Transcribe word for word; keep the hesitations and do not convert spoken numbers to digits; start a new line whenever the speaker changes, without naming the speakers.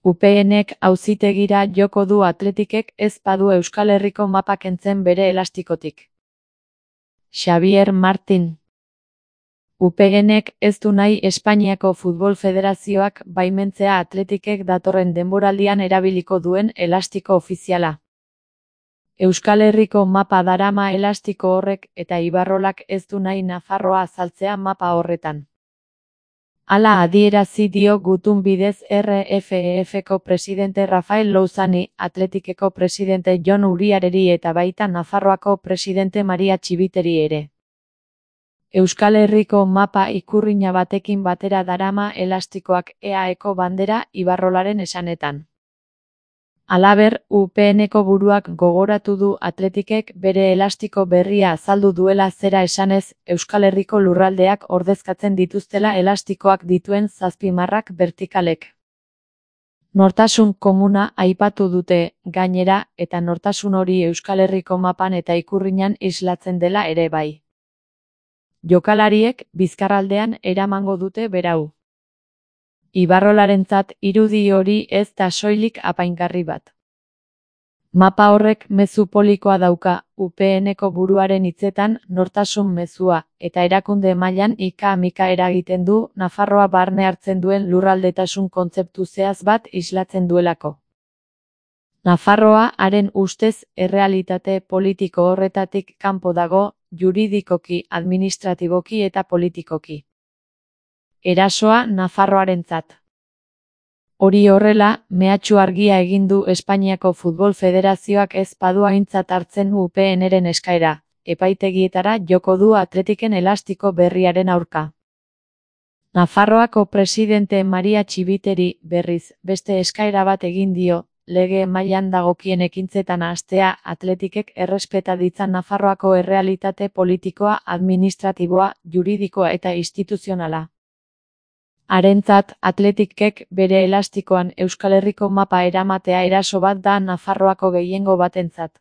U PNek auzitegira joko du Athleticek ez badu Euskal Herriko mapa kentzen bere elastikotik. Xabier Martin. U P Nek ez du nahi Espainiako Futbol Federazioak baimentzea Athleticek datorren denboraldian erabiliko duen elastiko ofiziala. Euskal Herriko mapa darama elastiko horrek eta Ibarrolak ez du nahi Nafarroa azaltzea mapa horretan. Hala adierazi dio gutun bidez R F E Fko presidente Rafael Louzani, Athleticeko presidente Jon Uriareri eta baita Nafarroako presidente Maria Txibiteri ere. Euskal Herriko mapa ikurrina batekin batera darama elastikoak E A Eko bandera Ibarrolaren esanetan. Halaber, U P Neko buruak gogoratu du Athleticek bere elastiko berria azaldu duela zera esanez, Euskal Herriko lurraldeak ordezkatzen dituztela elastikoak dituen zazpimarrak bertikalek. Nortasun komuna aipatu dute, gainera, eta nortasun hori Euskal Herriko mapan eta ikurrinan islatzen dela ere bai. Jokalariek bizkarraldean eramango dute berau. Ibarrolarentzat irudi hori ez da soilik apaingarri bat. Mapa horrek mezu polikoa dauka, U P Neko buruaren hitzetan nortasun mezua, eta erakunde mailan ika-mika eragiten du Nafarroa barne hartzen duen lurraldetasun kontzeptu zehatz bat islatzen duelako. Nafarroa haren ustez errealitate politiko horretatik kanpo dago, juridikoki, administratiboki eta politikoki. Erasoa Nafarroarentzat. Hori horrela, mehatxu argia egin du Espainiako Futbol Federazioak ez badu aintzat hartzen U P Nren eskaera, epaitegietara joko du Athleticen elastiko berriaren aurka. Nafarroako presidente Maria Txibiteri, berriz, beste eskaera bat egin dio, lege mailan dagokien ekintzetan hastea Athleticek errespeta ditzan Nafarroako errealitate politikoa, administratiboa, juridikoa eta instituzionala. Harentzat, Athleticek bere elastikoan Euskal Herriko mapa eramatea eraso bat da Nafarroako gehiengo batentzat.